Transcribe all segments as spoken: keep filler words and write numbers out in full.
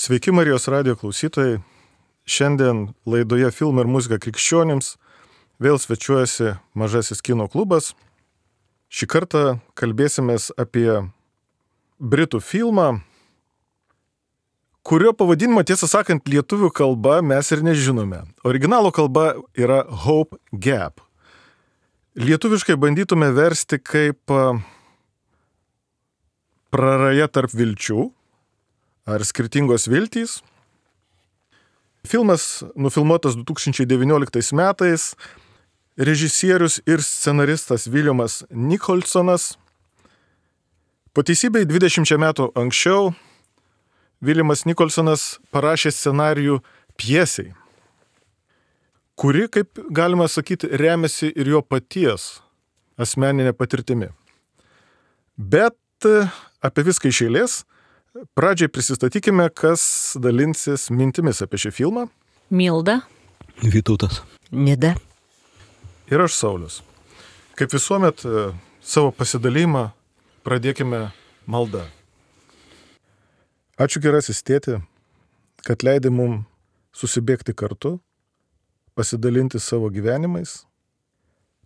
Sveiki Marijos radijo klausytojai. Šiandien laidoje Filmai ir muzika krikščionims vėl svečiuojasi Mažasis kino klubas. Šį kartą kalbėsimės apie britų filmą, kurio pavadinimą, tiesą sakant, lietuvių kalba mes ir nežinome. Originalo kalba yra Hope Gap. Lietuviškai bandytume versti kaip praraja tarp vilčių ar skirtingos viltys. Filmas nufilmuotas du tūkstančiai devynioliktais metais. Režisierius ir scenaristas Williamas Nicholsonas. Po teisybei dvidešimčia metų anksčiau Williamas Nicholsonas parašė scenarijų pjesei, kuri, kaip galima sakyti, remiasi ir jo paties asmeninė patirtimi. Bet apie viską iš eilės. Pradžiai prisistatykime, kas dalinsis mintimis apie šį filmą. Milda. Vytautas. Nida. Ir aš Saulius. Kaip visuomet, savo pasidalymą pradėkime malda. Ačiū gerasis tėti, kad leidai mums susibėgti kartu, pasidalinti savo gyvenimais,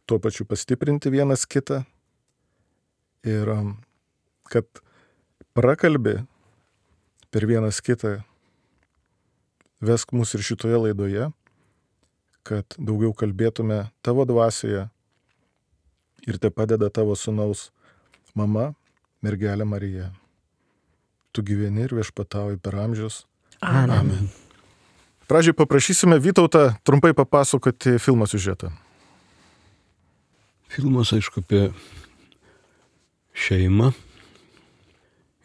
tuo pačiu pastiprinti vienas kitą ir kad prakalbė per vienas kitą, vesk mus ir šitoje laidoje, kad daugiau kalbėtume tavo dvasioje ir te padeda tavo sūnaus mama, mergelė Marija. Tu gyveni ir viešpatauji per amžius. Amen. Amen. Pradžiai paprašysime Vytautą trumpai papasakoti filmo siužetą. Filmas, aišku, apie šeimą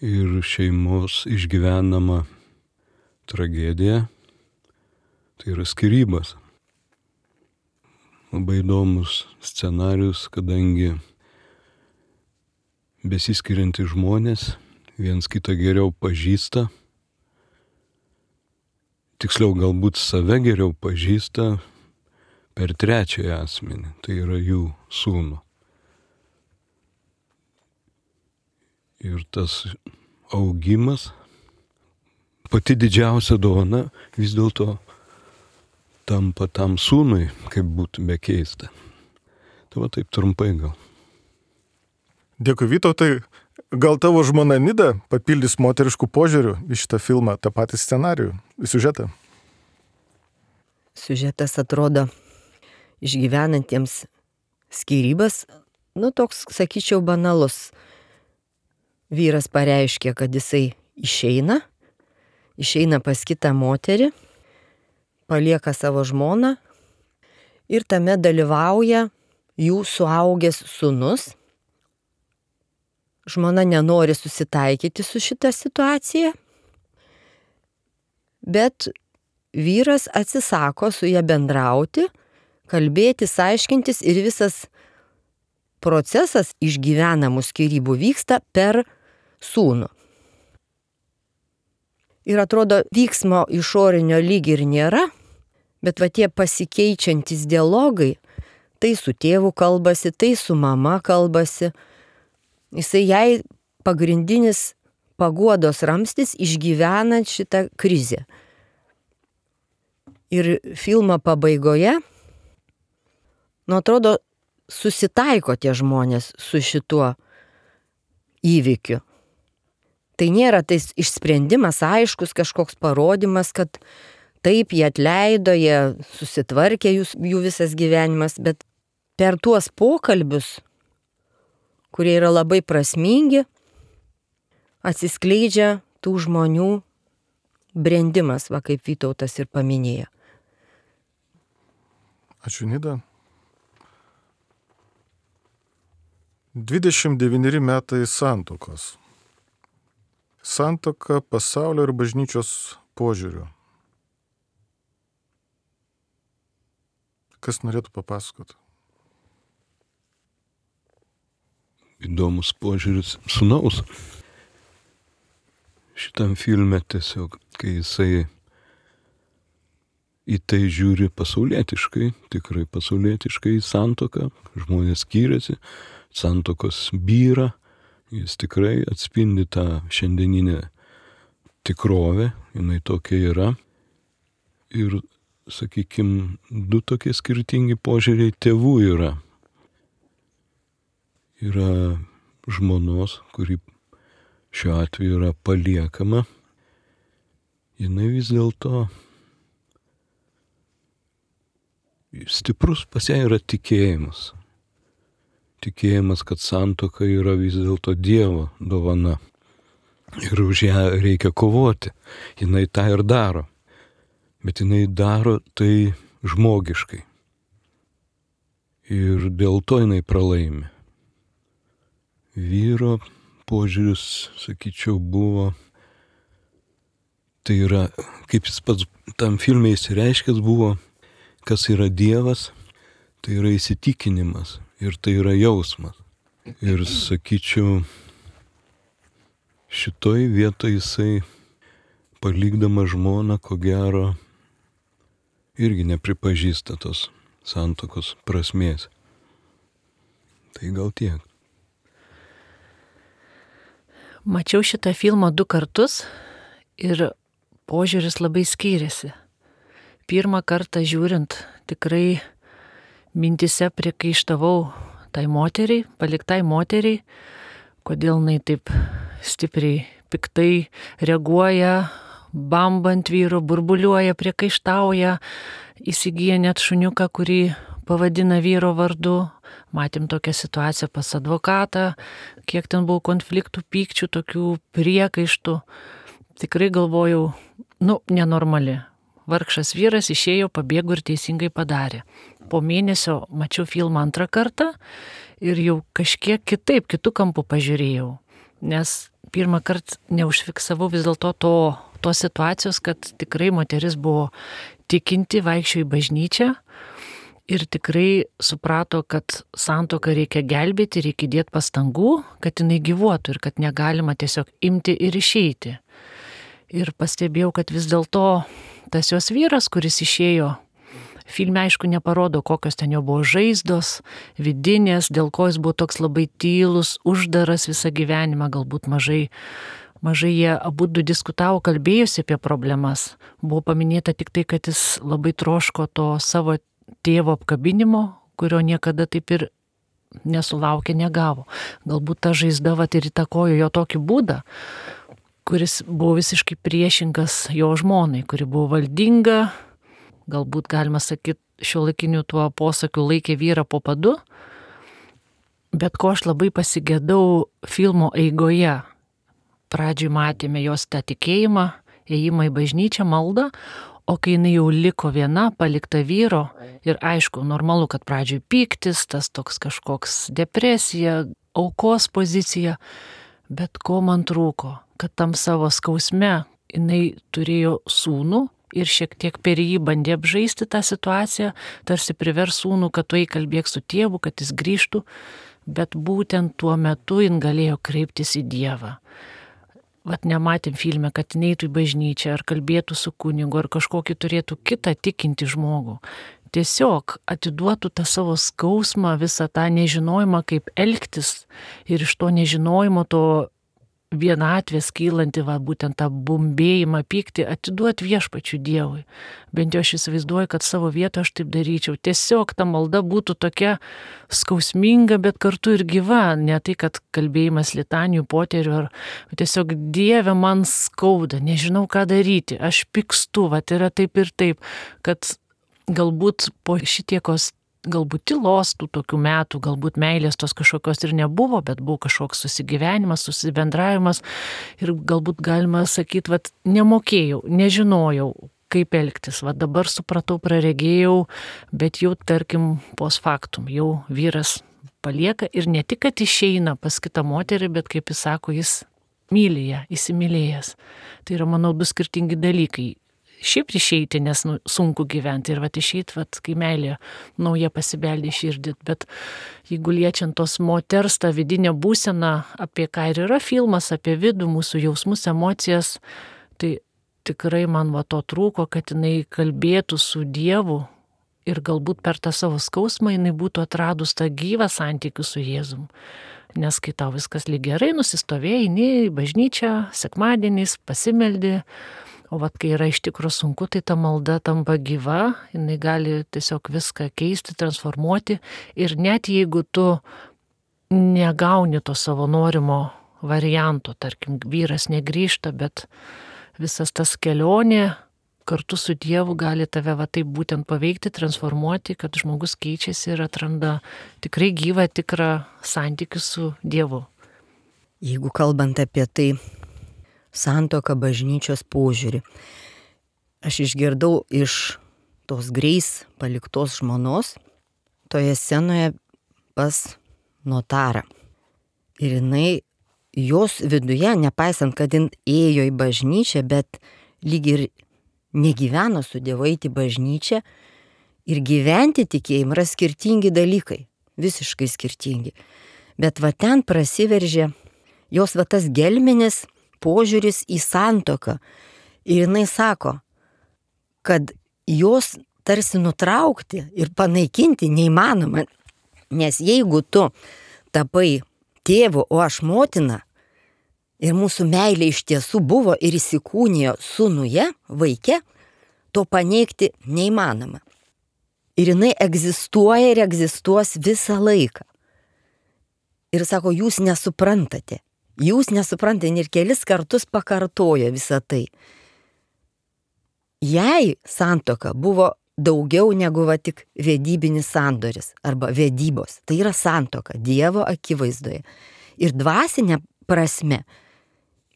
ir šeimos išgyvenamą tragediją. Tai yra skyrybas. Labai įdomus scenarius, kadangi besiskiriantys žmonės viens kitą geriau pažįsta, tiksliau galbūt save geriau pažįsta per trečiąją asmenį, tai yra jų sūnų. Ir tas augimas, pati didžiausia dovana vis dėlto tampa tam sūnui, kaip būtų be keista. Tai va taip trumpai gal. Dėkui Vytautai. Gal tavo žmona Nida papildys moteriškų požiūrių į šitą filmą, tą patį scenarijų, į siužetą? Siužetas atrodo išgyvenantiems skyrybas, nu toks, sakyčiau, banalus. Vyras pareiškė, kad jisai išeina, išeina pas kitą moterį, palieka savo žmoną ir tame dalyvauja jų suaugęs sūnus. Žmona nenori susitaikyti su šita situacija, bet vyras atsisako su ja bendrauti, kalbėtis, aiškintis ir visas procesas išgyvenamų skyrybų vyksta per sūnų. Ir atrodo, vyksmo išorinio lyg ir nėra, bet va tie pasikeičiantys dialogai, tai su tėvu kalbasi, tai su mama kalbasi. Jisai jai pagrindinis paguodos ramstis išgyvenant šitą krizę. Ir filmo pabaigoje, nu atrodo, susitaiko tie žmonės su šituo įvykiu. Tai nėra tais išsprendimas aiškus, kažkoks parodymas, kad taip jie atleido, jie susitvarkė jų, jų visas gyvenimas, bet per tuos pokalbius, kurie yra labai prasmingi, atsiskleidžia tų žmonių brendimas, va kaip Vytautas ir paminėjo. Ačiū Nida. dvidešimt devyneri metai santuokos. Santuoka pasaulio ir bažnyčios požiūriu. Kas norėtų papasakoti? Įdomus požiūris sūnaus. Šitam filme tiesiog, kai jisai į tai žiūri pasaulietiškai, tikrai pasaulietiškai į santuoką, žmonės skiriasi, santuokos byra, jis tikrai atspindi tą šiandieninę tikrovė, jinai tokia yra. Ir, sakykime, du tokie skirtingi požiūriai tėvų yra. Yra žmonos, kuri šiuo atveju yra paliekama. Jinai vis dėlto stiprus pas ją yra tikėjimas. Tikėjimas, kad santuoka yra vis dėlto Dievo dovana. Ir už ją reikia kovoti. Jinai tą ir daro. Bet jinai daro tai žmogiškai. Ir dėl to jinai pralaimi. Vyro požiūris, sakyčiau, buvo, tai yra, kaip jis pats tam filme įsireiškęs buvo, kas yra Dievas, tai yra įsitikinimas ir tai yra jausmas. Ir sakyčiau, šitoj vietoj jisai, palikdama žmoną, ko gero, irgi nepripažįsta tos santuokos prasmės. Tai gal tiek. Mačiau šitą filmą du kartus ir požiūris labai skyrėsi. Pirmą kartą žiūrint, tikrai mintise priekaištavau tai moteriai, paliktai moteriai, kodėl jinai taip stipriai, piktai reaguoja, bambant vyru, burbuliuoja, priekaištauja, įsigyja net šuniuką, kurį pavadina vyro vardu. Matėm tokią situaciją pas advokatą, kiek ten buvo konfliktų, pykčių, tokių priekaištų. Tikrai galvojau, nu, nenormali. Vargšas vyras išėjo, pabėgo ir teisingai padarė. Po mėnesio mačiau filmą antrą kartą ir jau kažkiek kitaip, kitų kampų pažiūrėjau. Nes pirmą kartą neužfiksavau vis dėlto to, tos situacijos, kad tikrai moteris buvo tikinti, vaikščiojo į bažnyčią ir tikrai suprato, kad santuoką reikia gelbėti, reikia dėti pastangų, kad jinai gyvuotų ir kad negalima tiesiog imti ir išeiti. Ir pastebėjau, kad vis dėlto tas jos vyras, kuris išėjo, filme aišku neparodo, kokios ten jo buvo žaizdos, vidinės, dėl ko jis buvo toks labai tylus, uždaras visą gyvenimą, galbūt mažai, mažai jie abudu diskutavo, kalbėjusi apie problemas. Buvo paminėta tik tai, kad jis labai troško to savo tėvo apkabinimo, kurio niekada taip ir nesulaukė, negavo. Galbūt ta žaizda vat ir įtakojo jo tokį būdą, kuris buvo visiškai priešingas jo žmonai, kuri buvo valdinga, galbūt galima sakyti šiuolaikiniu tuo posakiu laikė vyrą po padu, bet ko aš labai pasigėdau filmo eigoje. Pradžioj matėme jos tą tikėjimą, ėjimą į bažnyčią, maldą, o kai jinai jau liko viena, palikta vyro, ir aišku, normalu, kad pradžioj pyktis, tas toks kažkoks depresija, aukos pozicija, bet ko man trūko, kad tam savo skausme jinai turėjo sūnų ir šiek tiek per jį bandė apžaisti tą situaciją, tarsi privers sūnų, kad tu eik kalbėk su tėvu, kad jis grįžtų, bet būtent tuo metu jin galėjo kreiptis į Dievą. Vat nematėm filme, kad neitų į bažnyčią, ar kalbėtų su kunigu, ar kažkokį turėtų kitą tikinti žmogų. Tiesiog atiduotų tą savo skausmą, visą tą nežinojimą, kaip elgtis, ir iš to nežinojimo, to vienatvės kylanti, va, būtent tą bumbėjimą, pyktį, atiduoti viešpačiui Dievui. Bent jau aš įsivaizduoju, kad savo vietą aš taip daryčiau. Tiesiog ta malda būtų tokia skausminga, bet kartu ir gyva. Ne tai, kad kalbėjimas litanijų, poterių, ar tiesiog Dieve man skauda, nežinau ką daryti, aš pykstu, va, yra taip ir taip, kad galbūt po šitiekos galbūt tylos tų tokių metų, galbūt meilės tos kažkokios ir nebuvo, bet buvo kažkoks susigyvenimas, susibendravimas ir galbūt galima sakyti, vat, nemokėjau, nežinojau, kaip elgtis. Vat dabar supratau, praregėjau, bet jau, tarkim, post factum, jau vyras palieka ir ne tik, kad išeina pas kitą moterį, bet, kaip jis sako, jis myli ją, įsimylėjęs. Tai yra, manau, du skirtingi dalykai. Šiaip išeiti, nes nu, sunku gyventi ir vat išeiti, vat, kai meilė nauja pasibeldė širdį, bet jeigu liečiant tos moters tą vidinę būseną, apie ką ir yra filmas, apie vidų, mūsų jausmus, emocijas, tai tikrai man va to trūko, kad jinai kalbėtų su Dievu ir galbūt per tą savo skausmą jinai būtų atradus tą gyvą santykių su Jėzum. Nes kai tau viskas lyg gerai, nusistovėjai, eini į bažnyčią, sekmadieniais, pasimeldi, o vat kai yra iš tikrųjų sunku, tai ta malda tampa gyva, jinai gali tiesiog viską keisti, transformuoti ir net jeigu tu negauni to savo norimo varianto, tarkim, vyras negrįžta, bet visas tas kelionė kartu su Dievu gali tave va taip būtent paveikti, transformuoti, kad žmogus keičiasi ir atranda tikrai gyvą, tikrą santykių su Dievu. Jeigu kalbant apie tai, santuoką, bažnyčios požiūrį, aš išgirdau iš tos Greis paliktos žmonos toje scenoje pas notarą. Ir jinai, jos viduje, nepaisant, kad jin ėjo į bažnyčią, bet lyg ir negyveno su Dievu, eiti į bažnyčią ir gyventi tikėjimą yra skirtingi dalykai, visiškai skirtingi. Bet va ten prasiveržė jos va tas gelminis požiūris į santuoką. Ir jinai sako, kad jos tarsi nutraukti ir panaikinti neįmanoma, nes jeigu tu tapai tėvu, o aš motina, ir mūsų meilė iš tiesų buvo ir įsikūnijo sūnuje, vaike, to paneigti neįmanoma. Ir jinai egzistuoja ir egzistuos visą laiką. Ir sako, jūs nesuprantate. Jūs nesuprantate ir kelis kartus pakartojo visą tai. Jei santuoka buvo daugiau negu va tik vedybinis sandoris arba vedybos, tai yra santuoka Dievo akivaizdoje. Ir dvasinė prasme,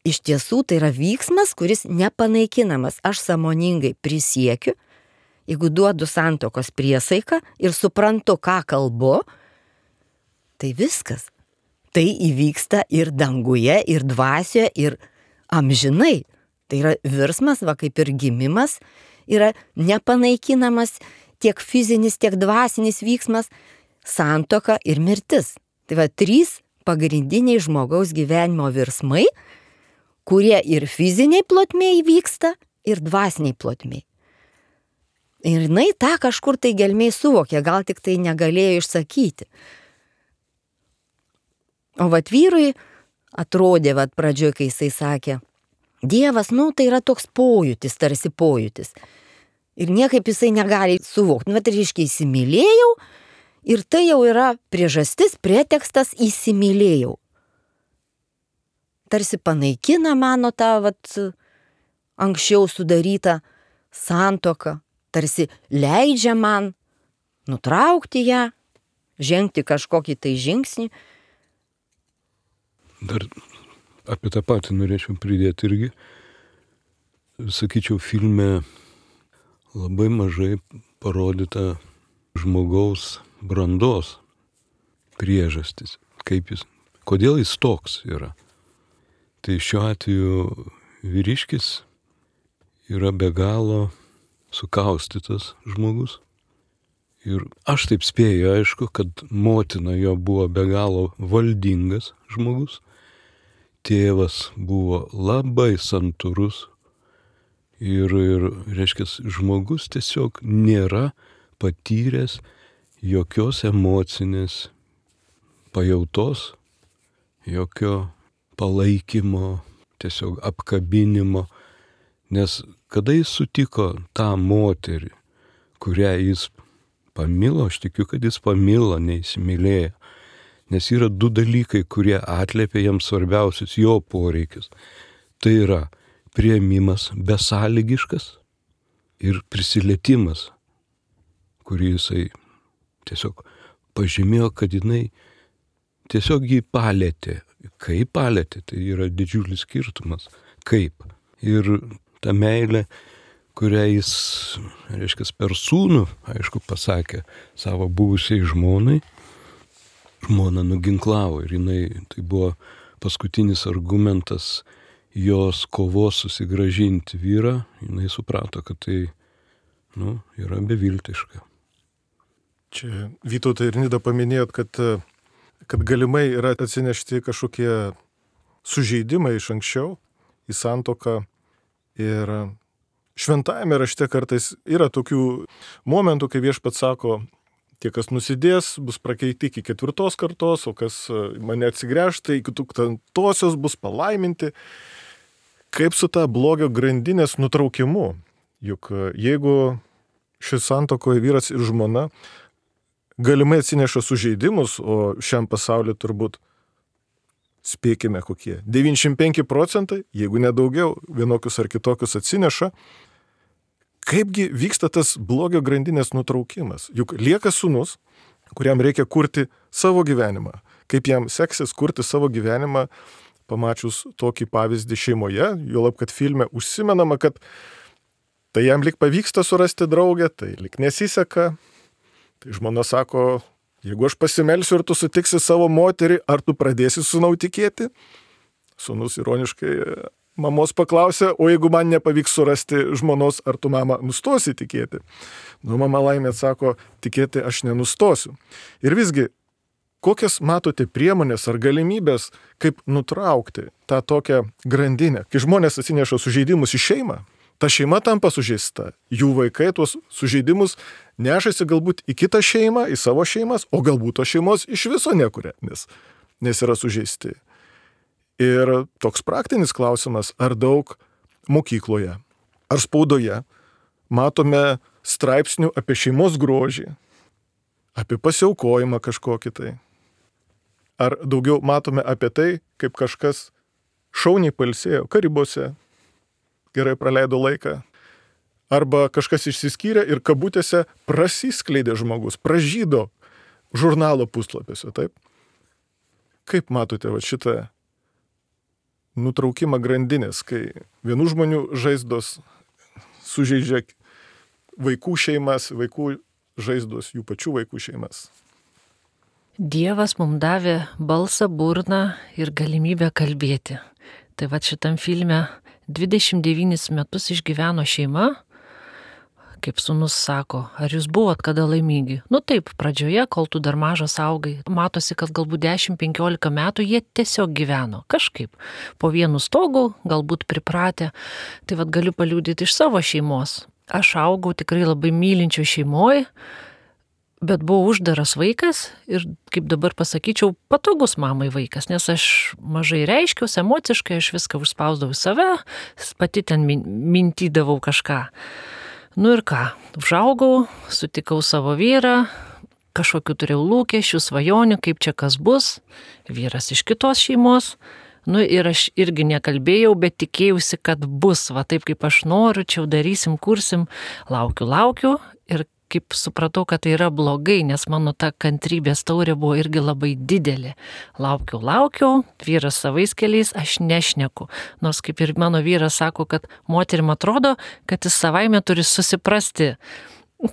iš tiesų tai yra vyksmas, kuris nepanaikinamas. Aš sąmoningai prisiekiu, jeigu duodu santuokos priesaiką ir suprantu, ką kalbu, tai viskas. Tai įvyksta ir danguje, ir dvasioje, ir amžinai. Tai yra virsmas, va kaip ir gimimas, yra nepanaikinamas tiek fizinis, tiek dvasinis vyksmas, santuoka ir mirtis. Tai va trys pagrindiniai žmogaus gyvenimo virsmai, kurie ir fiziniai plotmėj vyksta, ir dvasiniai plotmėj. Ir jinai tą kažkur tai gelmiai suvokė, gal tik tai negalėjo išsakyti. O vat vyrui atrodė, vat pradžioje, kai jisai sakė, Dievas, nu, tai yra toks pojūtis, tarsi pojūtis. Ir niekaip jisai negali suvokti. Nu, bet reiškia, įsimylėjau, ir tai jau yra priežastis, pretekstas įsimylėjau. Tarsi panaikina mano tą vat, anksčiau sudarytą santuoką, tarsi leidžia man nutraukti ją, žengti kažkokį tai žingsnį. Dar apie tą patį norėčiau pridėti irgi. Sakyčiau, filme labai mažai parodyta žmogaus brandos priežastis, kaip jis, kodėl jis toks yra. Tai šiuo atveju vyriškis yra be galo sukaustytas žmogus. Ir aš taip spėju, aišku, kad motina jo buvo be galo valdingas žmogus. Tėvas buvo labai santūrus. Ir, ir reiškia, žmogus tiesiog nėra patyręs jokios emocinės pajautos, jokio palaikymo, tiesiog apkabinimo. Nes kada jis sutiko tą moterį, kurią jis pamilo, aš tikiu, kad jis pamilo, neįsimylėjo. Nes yra du dalykai, kurie atliepia jam svarbiausius jo poreikius. Tai yra priėmimas besąlygiškas ir prisilietimas, kurį jisai tiesiog pažymėjo, kad jinai tiesiog jį palėtė. Kaip palėtė, tai yra didžiulis skirtumas. Kaip. Ir ta meilė, kurią jis, reiškia, per sūnų, aišku, pasakė savo buvusiai žmonai, žmona nuginklavo ir jinai, tai buvo paskutinis argumentas jos kovos susigrąžinti vyrą, jinai suprato, kad tai, nu, yra beviltiška. Čia Vytautai ir Nida paminėjot, kad, kad galimai yra atsinešti kažkokie sužeidimai iš anksčiau į santuoką ir šventajame rašte kartais yra tokių momentų, kai viešpats sako, tie, kas nusidės, bus prakeiti iki ketvirtos kartos, o kas mane atsigręš, tai iki tūkstantosios bus palaiminti. Kaip su ta blogio grandinės nutraukimu? Juk jeigu šis santuokoje vyras ir žmona galimai atsineša sužeidimus, o šiam pasauliu turbūt spėkime kokie. devyniasdešimt penki procentai, jeigu nedaugiau, vienokius ar kitokius atsineša. Kaipgi vyksta tas blogio grandinės nutraukimas? Juk lieka sūnus, kuriam reikia kurti savo gyvenimą. Kaip jam seksis kurti savo gyvenimą, pamačius tokį pavyzdį šeimoje, juolab, kad filme užsimenama, kad tai jam lik pavyksta surasti draugę, tai lik nesiseka. Tai žmona sako, jeigu aš pasimelsiu ir tu sutiksi savo moterį, ar tu pradėsi sūnau tikėti? Sūnus ironiškai mamos paklausė, o jeigu man nepavyks surasti žmonos, ar tu mama nustosi tikėti? Nu, mama laimė atsako, tikėti aš nenustosiu. Ir visgi, kokias matote priemonės ar galimybės, kaip nutraukti tą tokią grandinę? Kai žmonės atsineša sužeidimus į šeimą, ta šeima tampa sužeista. Jų vaikai tuos sužeidimus nešasi galbūt į kitą šeimą, į savo šeimas, o galbūt tos šeimos iš viso nekuria, nes, nes yra sužeisti. Ir toks praktinis klausimas, ar daug mokykloje, ar spaudoje matome straipsnių apie šeimos grožį, apie pasiaukojimą kažkokį tai. Ar daugiau matome apie tai, kaip kažkas šauniai pailsėjo Karibuose, gerai praleido laiką, arba kažkas išsiskyrė ir kabutėse prasiskleidė žmogus, pražydo žurnalo puslapiuose, taip? Kaip matote va, šitą nutraukimą grandinės, kai vienų žmonių žaizdos sužeidžia vaikų šeimas, vaikų žaizdos jų pačių vaikų šeimas? Dievas mums davė balsą, burną ir galimybę kalbėti. Tai va šitam filme dvidešimt devynis metus išgyveno šeima, kaip sūnus sako, ar jūs buvot kada laimingi? Nu taip, pradžioje, kol tu dar mažas augai, matosi, kad galbūt dešimt penkiolika metų jie tiesiog gyveno, kažkaip, po vienu stogu, galbūt pripratę. Tai vad galiu paliudyti iš savo šeimos. Aš augau tikrai labai mylinčio šeimoje, bet buvau uždaras vaikas ir, kaip dabar pasakyčiau, patogus mamai vaikas, nes aš mažai reiškiausi emociškai, aš viską užspausdavau save, pati ten mintydavau kažką. Nu ir ką, užaugau, sutikau savo vyrą, kažkokiu turėjau lūkesčių, svajonių, kaip čia kas bus, vyras iš kitos šeimos. Nu ir aš irgi nekalbėjau, bet tikėjausi, kad bus, va taip kaip aš noriu, čia darysim, kursim, laukiu, laukiu ir kaip supratau, kad tai yra blogai, nes mano ta kantrybės taurė buvo irgi labai didelė. Laukiu, laukiu, vyras savais keliais, aš nešneku. Nors kaip ir mano vyras sako, kad moterim atrodo, kad jis savaime turi susiprasti,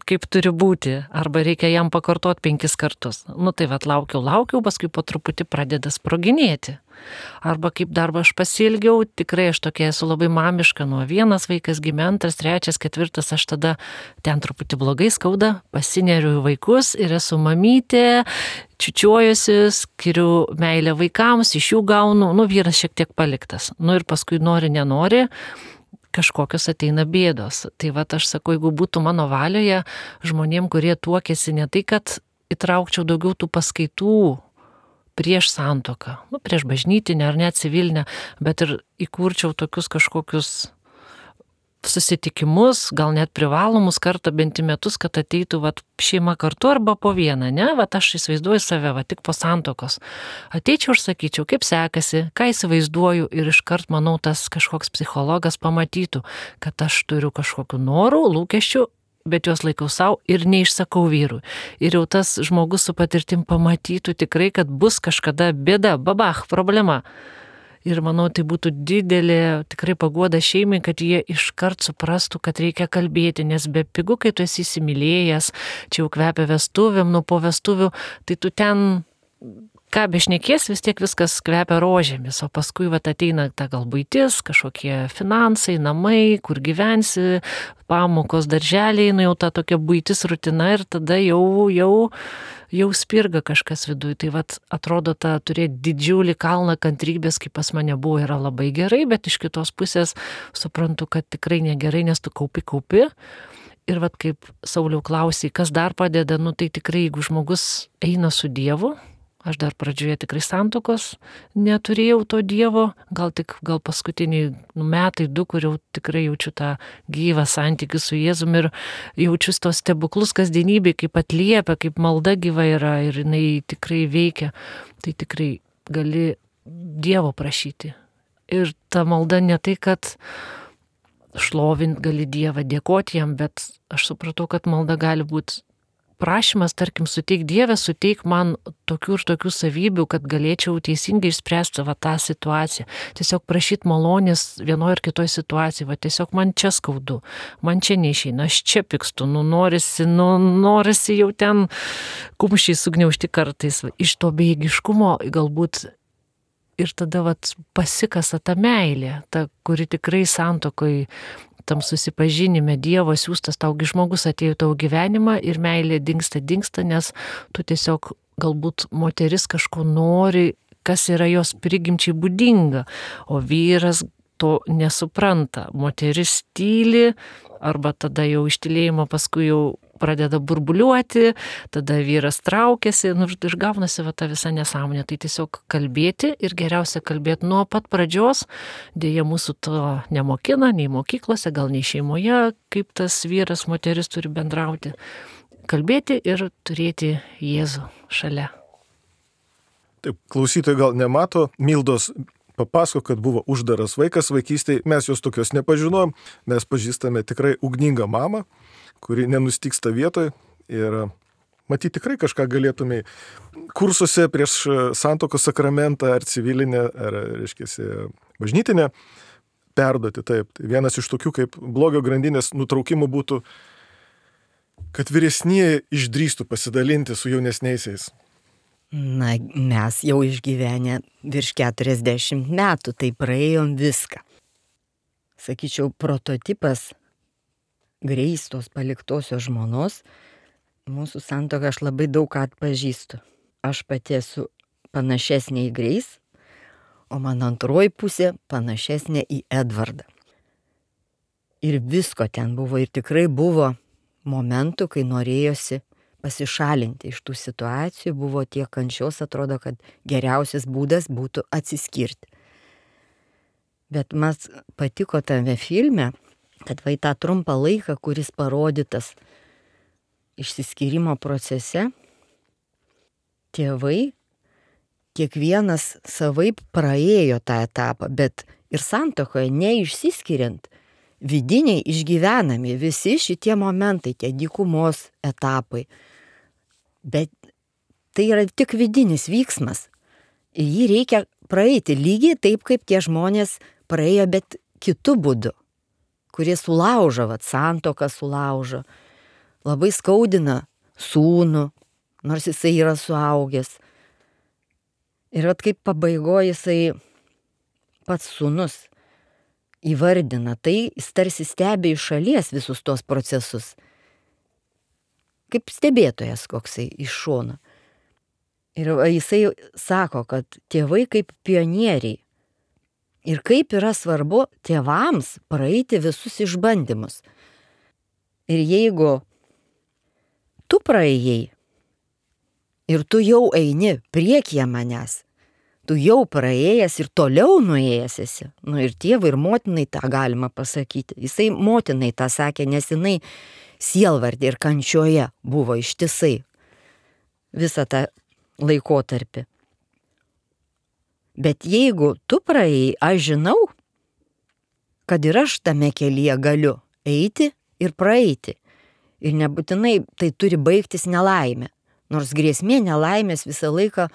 kaip turi būti, arba reikia jam pakartoti penkis kartus. Nu tai vat laukiu, laukiu, paskui po truputį pradeda sproginėti. Arba kaip darbą aš pasilgiau, tikrai aš tokia esu labai mamiška, nuo vienas vaikas gimė, antras, trečias, ketvirtas, aš tada ten truputį blogai skauda, pasineriu į vaikus ir esu mamytė, čiučiuojuosi, skiriu meilę vaikams, iš jų gaunu, nu vyras šiek tiek paliktas. Nu ir paskui nori, nenori, kažkokios ateina bėdos. Tai va aš sakau, jeigu būtų mano valioje žmonėm, kurie tuokėsi, ne tai, kad įtraukčiau daugiau tų paskaitų prieš santuoką, nu, prieš bažnytinę ar net civilinę, bet ir įkurčiau tokius kažkokius susitikimus, gal net privalomus kartą bent į metus, kad ateitų vat, šeima kartu arba po vieną, ne? Vat aš įsivaizduoju save, vat, tik po santuokos. Ateičiau ir sakyčiau, kaip sekasi, ką įsivaizduoju ir iškart, manau, tas kažkoks psichologas pamatytų, kad aš turiu kažkokių norų, lūkesčių, bet juos laikau savo ir neišsakau vyrui. Ir jau tas žmogus su patirtim pamatytų tikrai, kad bus kažkada bėda, babach, problema. Ir manau, tai būtų didelė tikrai paguoda šeimai, kad jie iškart suprastų, kad reikia kalbėti, nes be pigu, kai tu esi įsimylėjęs, čia jau kvepia vestuvėm, nu po vestuvių, tai tu ten ką bešnekės, vis tiek viskas kvepia rožėmis, o paskui vat ateina ta gal buitis, kažkokie finansai, namai, kur gyvensi, pamokos, darželiai, nu jau ta tokia buitis rutina ir tada jau, jau, jau spirga kažkas viduje. Tai vat atrodo, ta turėti didžiulį kalną kantrybės, kaip pas mane buvo, yra labai gerai, bet iš kitos pusės suprantu, kad tikrai negerai, nes tu kaupi, kaupi. Ir vat kaip Sauliau klausai, kas dar padeda, nu tai tikrai, jeigu žmogus eina su Dievu, aš dar pradžioje tikrai santuokos neturėjau to Dievo, gal tik gal paskutiniai nu, metai, du, kur jau tikrai jaučiu tą gyvą santykį su Jėzumi ir jaučiu tos stebuklus kasdienybėj, kaip atliepia, kaip malda gyva yra ir jinai tikrai veikia, tai tikrai gali Dievo prašyti. Ir ta malda ne tai, kad šlovint gali Dievą, dėkoti jam, bet aš supratau, kad malda gali būti prašymas, tarkim, suteik Dievę, suteik man tokių ir tokių savybių, kad galėčiau teisingai išspręsti va tą situaciją. Tiesiog prašyti malonės vienoje ar kitoje situacijoje, va tiesiog man čia skaudu, man čia neišeina, aš čia pykstu, nu norisi, nu norisi jau ten kumščiai sugniaužti kartais. Iš to bejėgiškumo galbūt ir tada vat pasikasa ta meilė, ta, kuri tikrai santuokoj, tam susipažinime Dievo siūstas taugi žmogus atėjo tavo gyvenimą ir meilė dingsta, dingsta, nes tu tiesiog galbūt moteris kažko nori, kas yra jos prigimčiai būdinga, o vyras to nesupranta. Moteris tyli, arba tada jau ištylėjimo paskui jau pradeda burbuliuoti, tada vyras traukiasi, nu ir gaunasi va ta visa nesąmonė. Tai tiesiog kalbėti ir geriausia kalbėti nuo pat pradžios. Dėja mūsų to nemokina, nei mokyklose, gal nei šeimoje, kaip tas vyras, moteris turi bendrauti. Kalbėti ir turėti Jėzų šalia. Taip, klausytojai gal nemato, Mildos papasako, kad buvo uždaras vaikas vaikystėje, mes jos tokios nepažinojom, mes pažįstame tikrai ugningą mamą, kuri nenustyksta vietoj ir matyti tikrai kažką galėtumai kursuose prieš santuokos sakramentą ar civilinę, ar, reiškia, bažnytinę perduoti. Taip, tai vienas iš tokių kaip blogio grandinės nutraukimų būtų, kad vyresnieji išdrįstų pasidalinti su jaunesniaisiais. Na, mes jau išgyvenę virš keturiasdešimt metų, tai praėjom viską. Sakyčiau, prototipas Greistos paliktosios žmonos, mūsų santuoką aš labai daug ką atpažįstu. Aš pati esu panašesnė į Greis, o mano antroji pusė panašesnė į Edvardą. Ir visko ten buvo, ir tikrai buvo momentų, kai norėjosi pasišalinti iš tų situacijų, buvo tiek kančios, atrodo, kad geriausias būdas būtų atsiskirti. Bet man patiko tame filme, kad vai tą trumpą laiką, kuris parodytas išsiskyrimo procese, tėvai kiekvienas savaip praėjo tą etapą, bet ir santuokoje neišsiskiriant, vidiniai išgyvenami visi šitie momentai, tie dykumos etapai. Bet tai yra tik vidinis vyksmas. Ir jį reikia praeiti lygiai taip, kaip tie žmonės praėjo, bet kitu būdu, kurie sulaužo, vat, santuoką sulaužo, labai skaudina sūnų, nors jisai yra suaugęs. Ir vat kaip pabaigoje jisai pats sūnus įvardina, tai jis tarsi stebi iš šalies visus tos procesus. Kaip stebėtojas koksai iš šono. Ir jisai sako, kad tėvai kaip pionieriai. Ir kaip yra svarbu tėvams praeiti visus išbandymus. Ir jeigu tu praėjai ir tu jau eini priekyje manęs, tu jau praėjęs ir toliau nuėjęs esi. Nu ir tėvai ir motinai tą galima pasakyti. Jisai motinai tą sakė, nes jinai sielvardė ir kančioje buvo ištisai visą tą laikotarpį. Bet jeigu tu praėjai, aš žinau, kad ir aš tame kelyje galiu eiti ir praeiti. Ir nebūtinai tai turi baigtis nelaimė. Nors grėsmė nelaimės visą laiką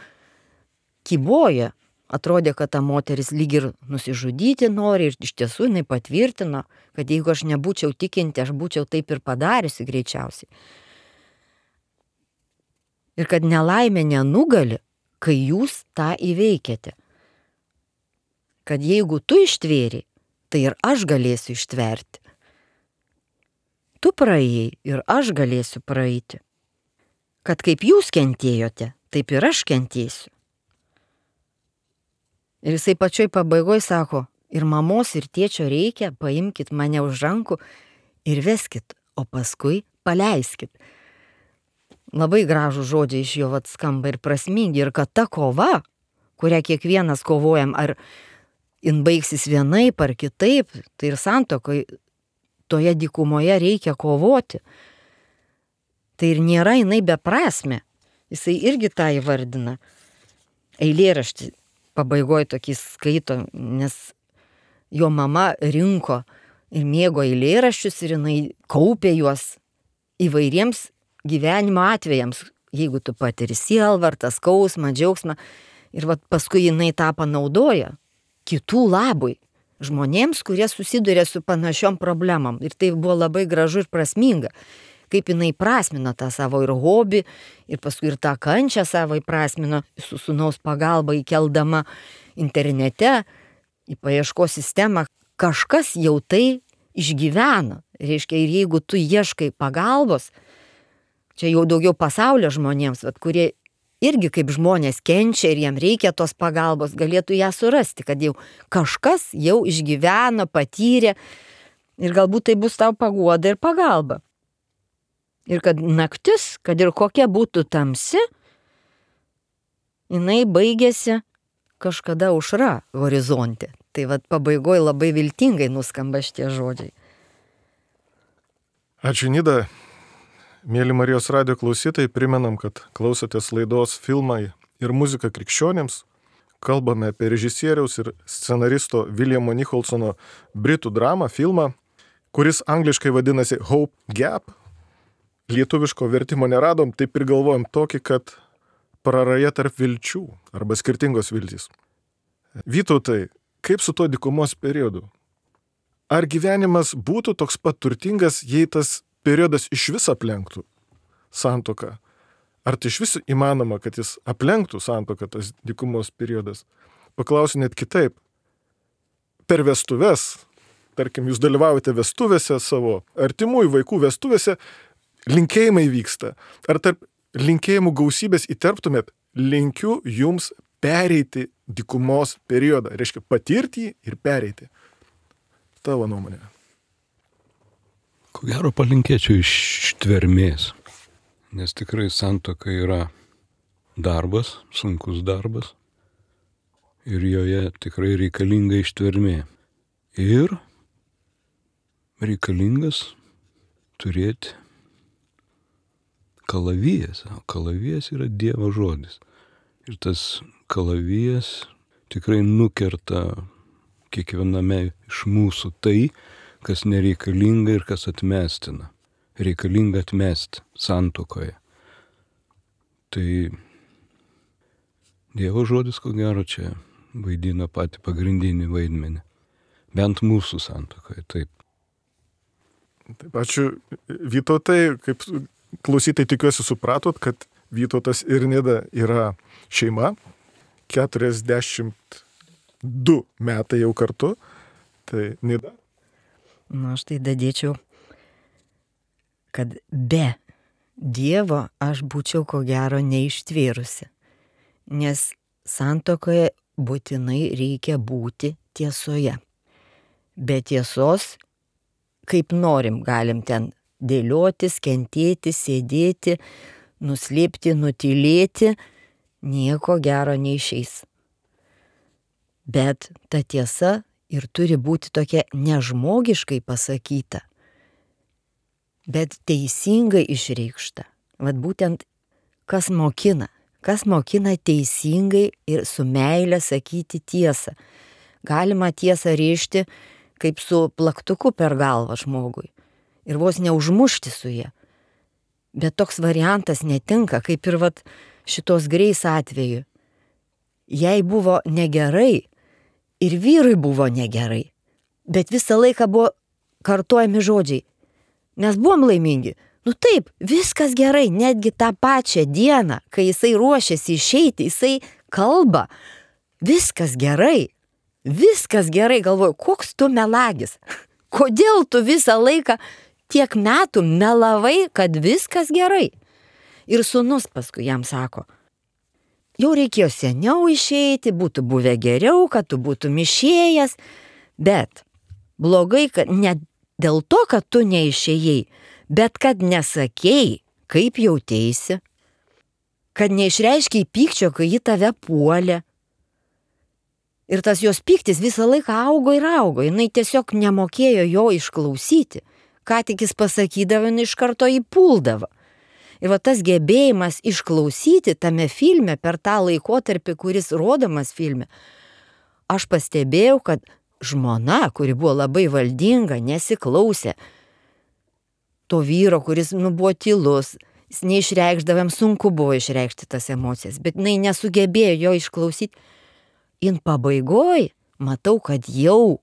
kyboja. Atrodė, kad ta moteris lyg ir nusižudyti nori ir iš tiesų jinai patvirtino, kad jeigu aš nebūčiau tikinti, aš būčiau taip ir padariusi greičiausiai. Ir kad nelaimė nenugali, kai jūs tą įveikėte. Kad jeigu tu ištvėri, tai ir aš galėsiu ištverti. Tu praėjai ir aš galėsiu praeiti. Kad kaip jūs kentėjote, taip ir aš kentėsiu. Ir jisai pačioj pabaigoje sako, ir mamos, ir tėčio reikia, paimkit mane už rankų ir veskit, o paskui paleiskit. Labai gražų žodžiai iš jo vat skamba ir prasmingi, ir kad ta kova, kurią kiekvienas kovojam, ar jin baigsis vienaip ar kitaip, tai ir santuokai toje dykumoje reikia kovoti. Tai ir nėra jinai beprasmė. Jisai irgi tą įvardina. Eilėraštį pabaigoje tokį skaito, nes jo mama rinko ir mėgo eilėraščius ir jinai kaupė juos įvairiems gyvenimo atvejams, jeigu tu patiri sielvartą, skausmą, džiaugsmą. Ir vat paskui jinai tą panaudoja kitų labui, žmonėms, kurie susiduria su panašiom problemam. Ir tai buvo labai gražu ir prasminga, kaip jinai prasmino tą savo ir hobį, ir paskui ir tą kančią savo įprasmino su sūnaus pagalba įkeldama internete į paieškos sistemą. Kažkas jau tai išgyveno. Reiškia, ir jeigu tu ieškai pagalbos, čia jau daugiau pasaulio žmonėms, vat, kurie irgi kaip žmonės kenčia ir jiem reikia tos pagalbos, galėtų ją surasti, kad jau kažkas jau išgyveno, patyrė ir galbūt tai bus tau paguoda ir pagalba. Ir kad naktis, kad ir kokia būtų tamsi, jinai baigėsi kažkada aušra horizonte. Tai vat pabaigoje labai viltingai nuskamba šitie žodžiai. Ačiū, Nida. Mėly Marijos radijo klausytojai, primenam, kad klausotės laidos Filmai ir muzika krikščionėms. Kalbame apie režisieriaus ir scenaristo Williamo Nicholsono britų dramą, filmą, kuris angliškai vadinasi Hope Gap. Lietuviško vertimo neradom, taip ir galvojam tokį, kad praraja tarp vilčių arba skirtingos viltys. Vytautai, kaip su to dykumos periodu? Ar gyvenimas būtų toks pat turtingas, jei tas periodas iš vis aplenktų santuoką? Ar tai iš vis įmanoma, kad jis aplenktų santuoką, tas dykumos periodas? Paklausiu net kitaip. Per vestuves, tarkim, jūs dalyvaujate vestuvėse savo artimųjų vaikų vestuvėse, linkėjimai vyksta. Ar tarp linkėjimų gausybės įterptumėt, linkiu jums pereiti dykumos periodą? Reiškia, patirti jį ir pereiti. Tavo nuomonė. Ko gero palinkėčiau ištvermės, nes tikrai santuoka yra darbas, sunkus darbas ir joje tikrai reikalinga ištvermė. Ir reikalingas turėti kalavijas, o kalavijas yra Dievo žodis. Ir tas kalavijas tikrai nukerta kiekviename iš mūsų tai, kas nereikalinga ir kas atmestina. Reikalinga atmesti santuokoje. Tai Dievo žodis, ko gero, čia vaidina patį pagrindinį vaidmenį. Bent mūsų santuokoje, taip. Taip, ačiū Vytautai, kaip klausytai tikiuosi supratot, kad Vytautas ir Nida yra šeima, keturiasdešimt du metai jau kartu. Tai Nida? Na, aš tai dadėčiau, kad be Dievo aš būčiau ko gero neištvėrusi, nes santuokoje būtinai reikia būti tiesoje. Be tiesos, kaip norim, galim ten dėliotis, kentėti, sėdėti, nuslėpti, nutylėti, nieko gero neišeis. Bet ta tiesa ir turi būti tokia nežmogiškai pasakyta, bet teisingai išreikšta. Vat būtent kas mokina, kas mokina teisingai ir su meile sakyti tiesą. Galima tiesą rėžti kaip su plaktuku per galvą žmogui ir vos neužmušti su ja. Bet toks variantas netinka, kaip ir vat šitos Greis atveju. Jai buvo negerai, ir vyrui buvo negerai, bet visą laiką buvo kartojami žodžiai. Mes buvom laimingi, Nu taip, viskas gerai, netgi tą pačią dieną, kai jisai ruošiasi išeiti, jisai kalba, viskas gerai, viskas gerai, galvoju, koks tu melagis, kodėl tu visą laiką tiek metų melavai, kad viskas gerai. Ir sūnus paskui jam sako, jau reikėjo seniau išeiti, būtų buvę geriau, kad tu būtum išėjęs, bet blogai, kad ne dėl to, kad tu neišėjai, bet kad nesakei, kaip jauteisi, kad neišreiškiai pykčio, kai ji tave puolė. Ir tas jos pyktis visą laiką augo ir augo, jinai tiesiog nemokėjo jo išklausyti, ką tik jis pasakydavo, jinai iš karto jį puldavo. Ir va tas gebėjimas išklausyti tame filme per tą laikotarpį, kuris rodomas filme, aš pastebėjau, kad žmona, kuri buvo labai valdinga, nesiklausė to vyro, kuris nu, buvo tylus, jis neišreikšdavam, sunku buvo išreikšti tas emocijas, bet jinai nesugebėjo jo išklausyti. In pabaigoj matau, kad jau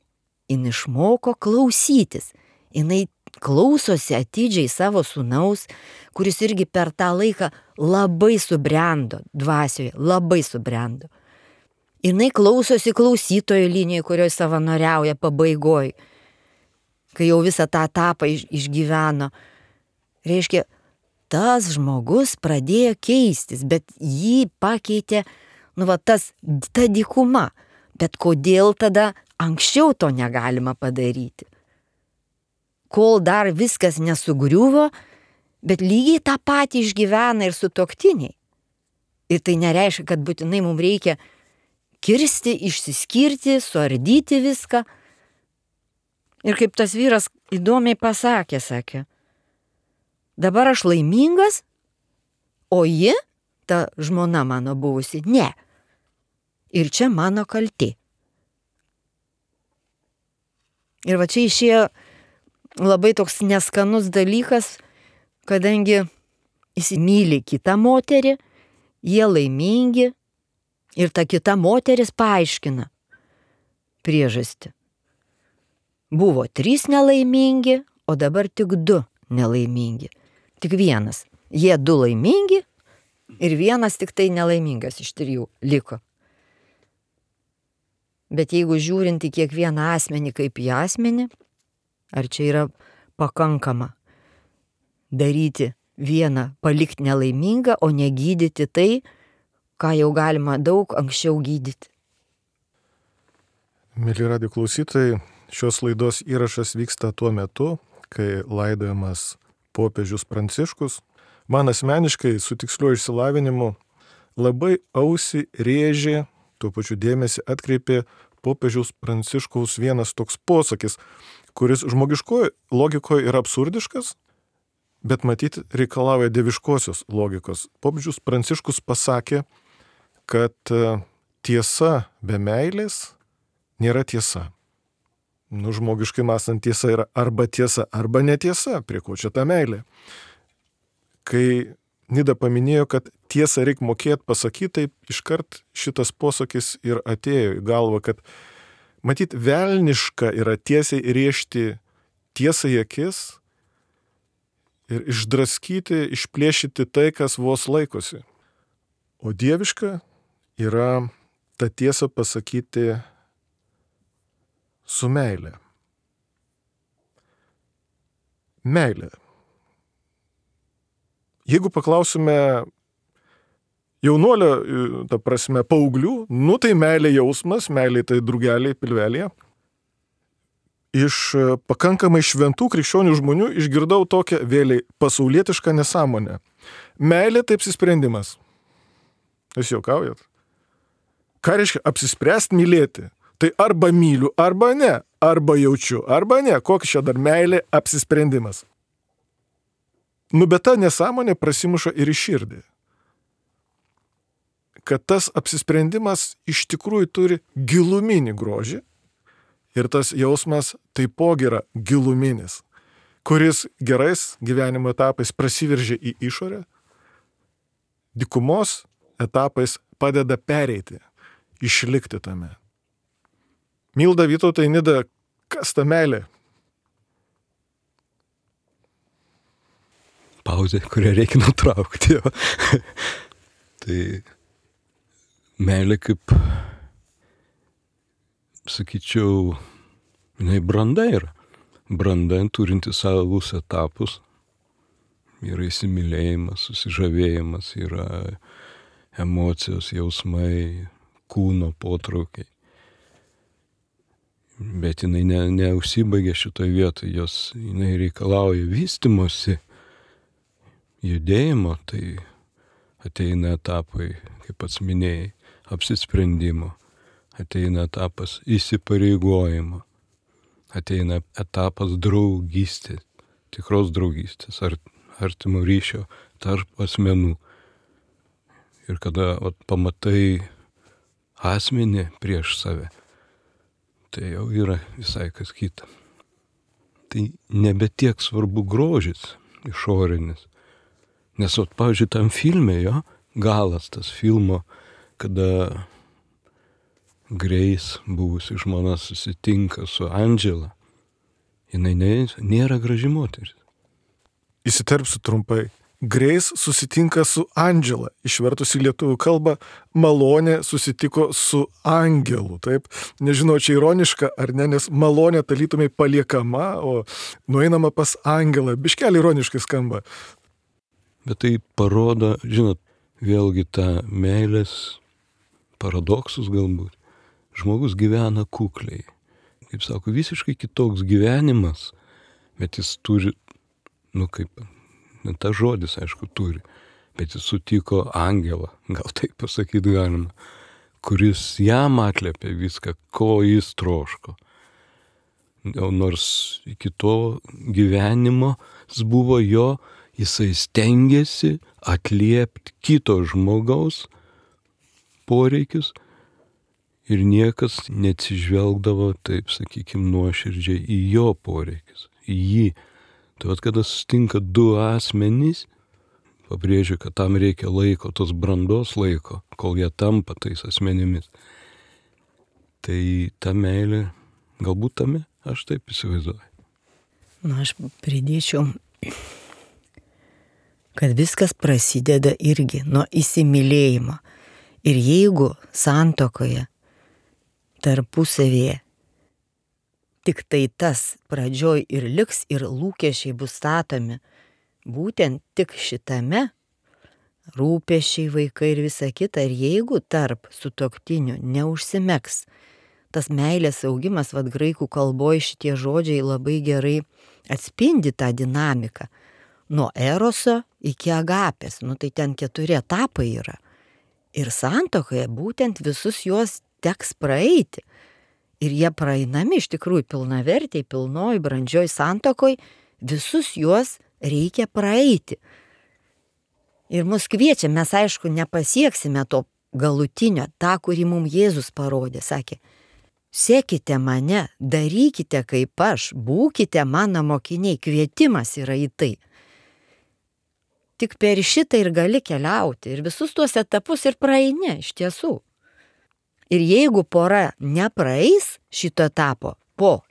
jin išmoko klausytis. Jinai klausosi atidžiai savo sūnaus, kuris irgi per tą laiką labai subrendo dvasioje, labai subrendo. Jinai klausosi klausytojo linijoje, kurioje savanoriauja pabaigoj, kai jau visą tą etapą išgyveno. Reiškia, tas žmogus pradėjo keistis, bet jį pakeitė, nu va tas, ta dykuma. Bet kodėl tada anksčiau to negalima padaryti? Kol dar viskas nesugriuvo, bet lygiai tą patį išgyvena ir sutuoktiniai. Ir tai nereiškia, kad būtinai mums reikia kirsti, išsiskirti, suardyti viską. Ir kaip tas vyras įdomiai pasakė, sakė, dabar aš laimingas, o ji, ta žmona mano buvusi, ne. Ir čia mano kaltė. Ir va čia išėjo labai toks neskanus dalykas, kadangi jis myli kitą moterį, jie laimingi ir ta kita moteris paaiškina priežastį. Buvo trys nelaimingi, o dabar tik du nelaimingi. Tik vienas. Jie du laimingi ir vienas tik tai nelaimingas iš trijų liko. Bet jeigu žiūrint į kiekvieną asmenį kaip į asmenį, ar čia yra pakankama daryti vieną, palikti nelaimingą, o negydyti tai, ką jau galima daug anksčiau gydyti. Mėly radijo klausytojai, šios laidos įrašas vyksta tuo metu, kai laidojamas popiežius Pranciškus. Man asmeniškai su tiksliuoju išsilavinimu labai ausį rėžė, tuo pačiu dėmesį atkreipė popiežiaus Pranciškaus vienas toks posakis, kuris žmogiškoje logikoje yra absurdiškas, bet matyti reikalauja dieviškosios logikos. Popiežius Pranciškus pasakė, kad tiesa be meilės nėra tiesa. Nu, žmogiškai mąstant tiesa yra arba tiesa, arba netiesa, prie ko čia ta meilė. Kai Nida paminėjo, kad tiesą reikia mokėti pasakyti, taip iškart šitas posakis ir atėjo į galvą, kad matyt velniška yra tiesiai rėžti tiesą į akis ir išdraskyti, išplėšyti tai, kas vos laikosi. O dieviška yra tą tiesą pasakyti su meilė. Meilė. Jeigu paklausime jaunuolio, ta prasme, paauglių, nu tai meilė jausmas, meilė tai drugeliai pilvelėje. Iš pakankamai šventų krikščionių žmonių išgirdau tokią vėliai pasaulietišką nesąmonę. Meilė tai apsisprendimas. Jūs juokaujat? Ką reiškia apsispręsti mylėti? Tai arba myliu, arba ne, arba jaučiu, arba ne. Kokia čia dar meilė apsisprendimas? Nu, bet ta nesąmonė prasimuša ir į širdį. Kad tas apsisprendimas iš tikrųjų turi giluminį grožį ir tas jausmas taipogi yra giluminis, kuris gerais gyvenimo etapais prasiveržia į išorę, dykumos etapais padeda pereiti, išlikti tame. Milda, Vytautai, Nida, kas ta meilė? pauzė, kurią reikia nutraukti. Jo. Tai meilė kaip, sakyčiau, jinai branda yra. Branda turinti savus etapus. Yra įsimylėjimas, susižavėjimas, yra emocijos, jausmai, kūno potraukiai. Bet jinai ne, neužsibaigia šitoje vietoje, jos jinai reikalauja vystimosi, judėjimo, tai ateina etapai, kaip pats minėjai, apsisprendimo, ateina etapas įsipareigojimo, ateina etapas draugystės, tikros draugystės, ar, artimo ryšio tarp asmenų. Ir kada vat, pamatai asmenį prieš save, tai jau yra visai kas kita. Tai nebe tiek svarbu grožis išorinis. Nes, vat, pavyzdžiui, tam filme jo, galas tas filmo, kada Grace, buvusi žmona, susitinka su Angela, jinai ne, nėra graži moteris. Įsiterpsiu trumpai. Grace susitinka su Angela, išvertus į lietuvių kalbą, malonė susitiko su angelu, taip? Nežinau, čia ironiška ar ne, nes malonė talytumai paliekama, o nueinama pas angelą. Biškelį ironiškai skamba. Bet tai parodo, žinot, vėlgi tą meilės paradoksus galbūt. Žmogus gyvena kukliai. Kaip sako, visiškai kitoks gyvenimas, bet jis turi, nu kaip, ne tas žodis, aišku, turi, bet jis sutiko angelą, gal taip pasakyti galima, kuris jam atliepė viską, ko jis troško. O nors iki to gyvenimo jis buvo jo, jisai stengiasi atliepti kito žmogaus poreikius ir niekas neatsižvelgdavo, taip sakykime, nuoširdžiai į jo poreikius, į jį. Tai vat, kada sustinka du asmenys, pabrėžiu, kad tam reikia laiko, tos brandos laiko, kol jie tampa tais asmenimis. Tai ta meilė, galbūt tame, aš taip įsivaizduoju. Na, aš pridėčiau, kad viskas prasideda irgi nuo įsimylėjimo. Ir jeigu santuokoje tarpusavėje tik tai tas pradžioj ir liks ir lūkesčiai bus statomi, būtent tik šitame, rūpesčiai, vaikai ir visa kita, ir jeigu tarp sutuoktinių neužsimegs tas meilės augimas, vad graikų kalboje šitie žodžiai labai gerai atspindi tą dinamiką. Nuo eroso iki agapės, nu tai ten keturi etapai yra. Ir santuokoje būtent visus juos teks praeiti. Ir jie praeinami iš tikrųjų pilnavertiai, pilnoj, brandžioj santuokoj, visus juos reikia praeiti. Ir mus kviečia, mes aišku nepasieksime to galutinio, tą, kurį mums Jėzus parodė, sakė, sekite mane, darykite kaip aš, būkite mano mokiniai, kvietimas yra į tai. Tik per šitą ir gali keliauti ir visus tuos etapus ir praeini iš tiesų. Ir jeigu pora nepraeis šito etapo po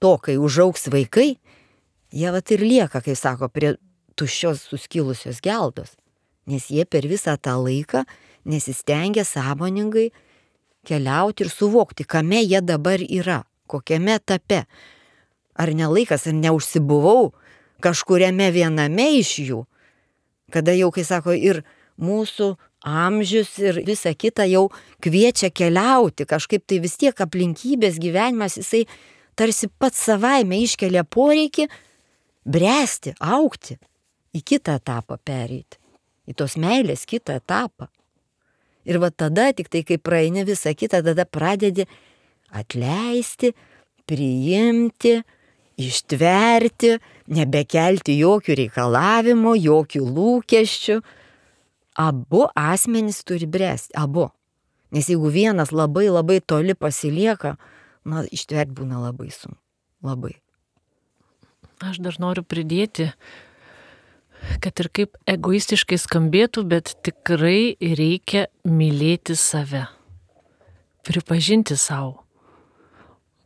to, kai užaugs vaikai, jie vat ir lieka, kaip sako, prie tuščios suskilusios geldos. Nes jie per visą tą laiką nesistengia sąmoningai keliauti ir suvokti, kame jie dabar yra, kokiame etape. Ar ne laikas, ar neužsibuvau kažkuriame viename iš jų, kada jau, kai sako, ir mūsų amžius ir visa kita jau kviečia keliauti, kažkaip tai vis tiek aplinkybės gyvenimas, jisai tarsi pats savaime iškelia poreikį bręsti, augti, į kitą etapą pereiti, į tos meilės kitą etapą. Ir va tada, tik tai kai praeini visą kitą, tada pradedi atleisti, priimti, ištverti, nebekelti jokių reikalavimų, jokių lūkesčių. Abu asmenys turi bręsti, abu. Nes jeigu vienas labai labai toli pasilieka, na, ištverti būna labai sunku. Labai. Aš dar noriu pridėti, kad ir kaip egoistiškai skambėtų, bet tikrai reikia mylėti save. Pripažinti savo.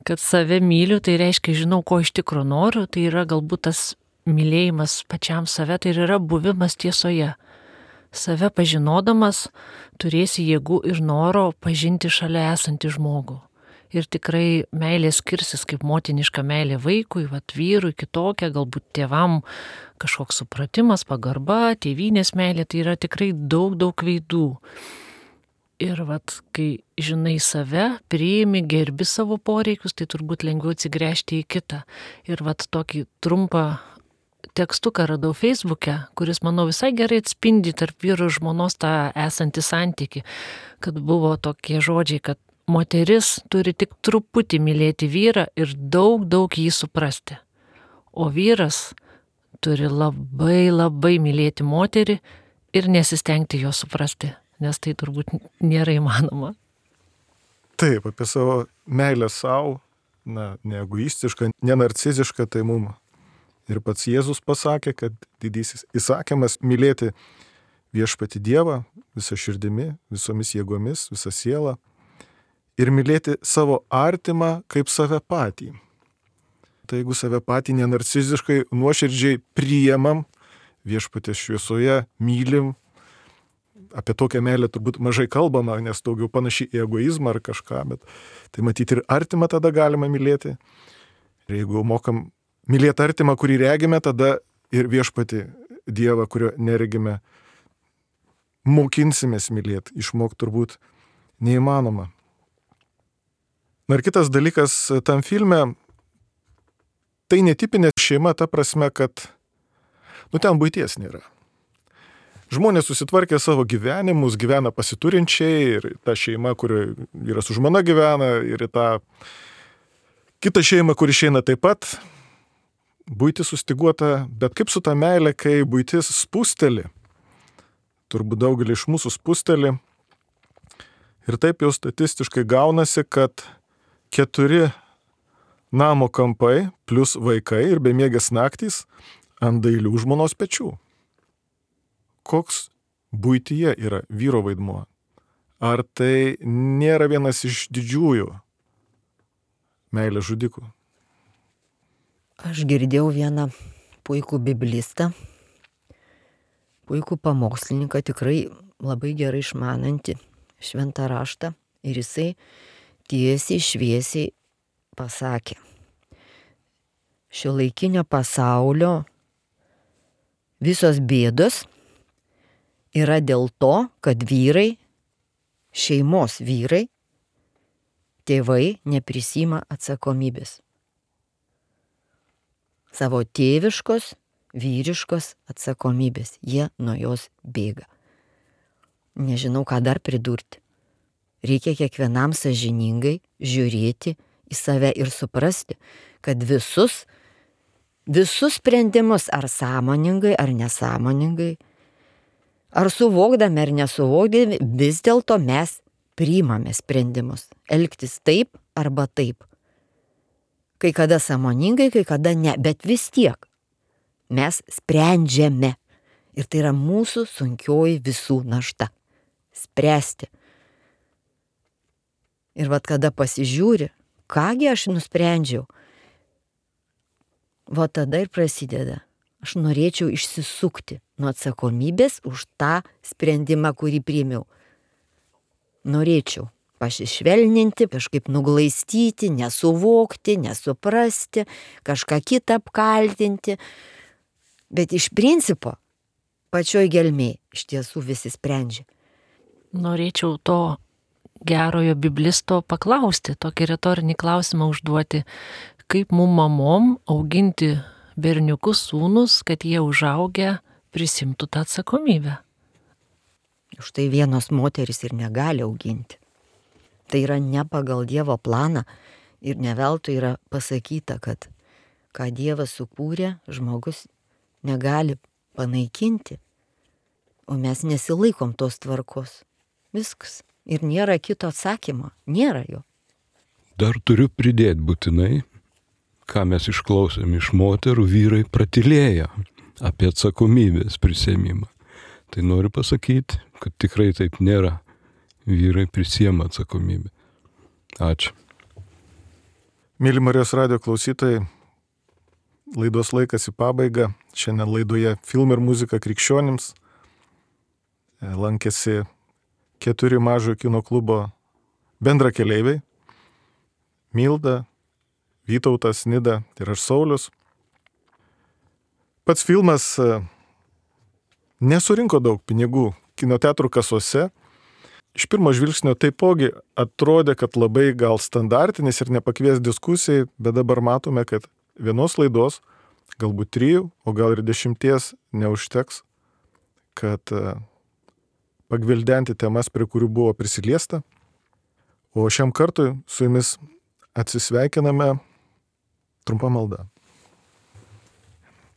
Kad save myliu, tai reiškia, žinau, ko iš tikro noriu, tai yra galbūt tas mylėjimas pačiam save, tai ir yra buvimas tiesoje. Save pažinodamas turėsi jėgų ir noro pažinti šalia esantį žmogų. Ir tikrai meilė skirsis kaip motiniška meilė vaikui, vat vyrui kitokia, galbūt tėvam kažkoks supratimas, pagarba, tėvynės meilė, tai yra tikrai daug, daug veidų. Ir vat, kai žinai save, priimi, gerbi savo poreikius, tai turbūt lengviau atsigręžti į kitą. Ir vat tokį trumpą tekstuką radau Facebook'e, kuris, manau, visai gerai atspindi tarp vyro ir žmonos tą esantį santykį, kad buvo tokie žodžiai, kad moteris turi tik truputį mylėti vyrą ir daug, daug jį suprasti. O vyras turi labai, labai mylėti moterį ir nesistengti jo suprasti, nes tai turbūt nėra įmanoma. Taip, apie savo meilę savo, na, neegoistišką, nenarcizišką, tai mum ir pats Jėzus pasakė, kad didysis įsakymas mylėti viešpatį Dievą visą širdimi, visomis jėgomis, visą sielą ir mylėti savo artimą kaip save patį. Tai jeigu save patį nenarciziškai, nuoširdžiai priemam, viešpatės šviesoje mylim, apie tokią meilę turbūt mažai kalbama, nes daugiau panaši į egoizmą ar kažką, bet tai matyti ir artimą tada galima mylėti. Ir jeigu mokam mylėti artimą, kurį regime, tada ir viešpatį Dievą, kurio neregime, mokinsimės mylėti, išmokti turbūt neįmanoma. Na ir kitas dalykas tam filme, tai netipinė šeima ta prasme, kad, nu, ten buities nėra. Žmonės susitvarkė savo gyvenimus, gyvena pasiturinčiai ir ta šeima, kurioje vyras su žmona gyvena, ir tą kitą šeimą, kur išeina taip pat, buitis sustiguota, bet kaip su ta meilė, kai buitis spusteli, turbūt daugelį iš mūsų spusteli, ir taip jau statistiškai gaunasi, kad keturi namo kampai plus vaikai ir bemiegės naktys ant dailių žmonos pečių. Koks buityje yra vyro vaidmuo? Ar tai nėra vienas iš didžiųjų meilės žudikų? Aš girdėjau vieną puikų biblistą, puikų pamokslininką, tikrai labai gerai išmanantį šventą raštą, ir jisai tiesiai šviesiai pasakė: šiuolaikinio pasaulio visos bėdos yra dėl to, kad vyrai, šeimos vyrai, tėvai neprisima atsakomybės. Savo tėviškos, vyriškos atsakomybės. Jie nuo jos bėga. Nežinau, ką dar pridurti. Reikia kiekvienam sąžiningai žiūrėti į save ir suprasti, kad visus, visus sprendimus, ar sąmoningai, ar nesąmoningai, ar suvokdami, ar nesuvokdami, vis dėlto mes priimame sprendimus. Elgtis taip arba taip. Kai kada sąmoningai, kai kada ne, bet vis tiek mes sprendžiame. Ir tai yra mūsų sunkioji visų našta. Spręsti. Ir vat kada pasižiūri, kągi aš nusprendžiau, va tada ir prasideda. Aš norėčiau išsisukti nuo atsakomybės už tą sprendimą, kurį priėmiau. Norėčiau pasišvelninti, kažkaip nuglaistyti, nesuvokti, nesuprasti, kažką kitą apkaltinti. Bet iš principo, pačioj gelmėj iš tiesų visi sprendžia. Norėčiau to gerojo biblisto paklausti, tokį retorinį klausimą užduoti, kaip mum mamom auginti berniukus sūnus, kad jie užaugę prisimtų tą atsakomybę. Už tai vienos moteris ir negali auginti. Tai yra ne pagal Dievo planą ir ne veltui yra pasakyta, kad ką Dievas sukūrė, žmogus negali panaikinti, o mes nesilaikom tos tvarkos. Viskas. Ir nėra kito atsakymo. Nėra jo. Dar turiu pridėti būtinai, ką mes išklausėm iš moterų, vyrai pratylėjo apie atsakomybės prisėmimą. Tai noriu pasakyti, kad tikrai taip nėra. Vyrai prisiema atsakomybę. Ačiū. Mėly Marijos radijo klausytojai, laidos laikas į pabaigą. Šiandien laidoje Film ir muzika krikščionims lankėsi keturi mažojo kino klubo bendrakeleiviai. Milda, Vytautas, Nida ir aš Saulius. Pats filmas nesurinko daug pinigų kino teatrų kasose. Iš pirmo žvilgsnio taipogi atrodė, kad labai gal standartinis ir nepakvies diskusijai, bet dabar matome, kad vienos laidos, galbūt trijų, o gal ir dešimties neužteks, kad pagvildenti temas, prie kurių buvo prisiliesta. O šiam kartui su jumis atsisveikiname trumpa malda.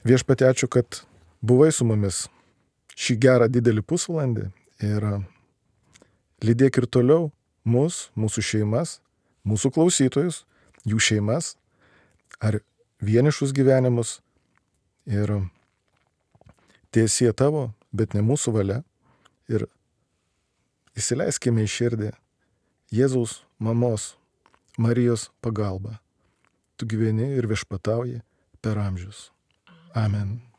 Viešpatie, ačiū, kad buvai su mumis šį gerą didelį pusvalandį ir lydėk ir toliau mus, mūsų šeimas, mūsų klausytojus, jų šeimas ar vienišus gyvenimus ir tiesie tavo, bet ne mūsų valia ir įsileiskime į širdį Jėzaus mamos Marijos pagalbą. Tu gyveni ir viešpatauji per amžius. Amen.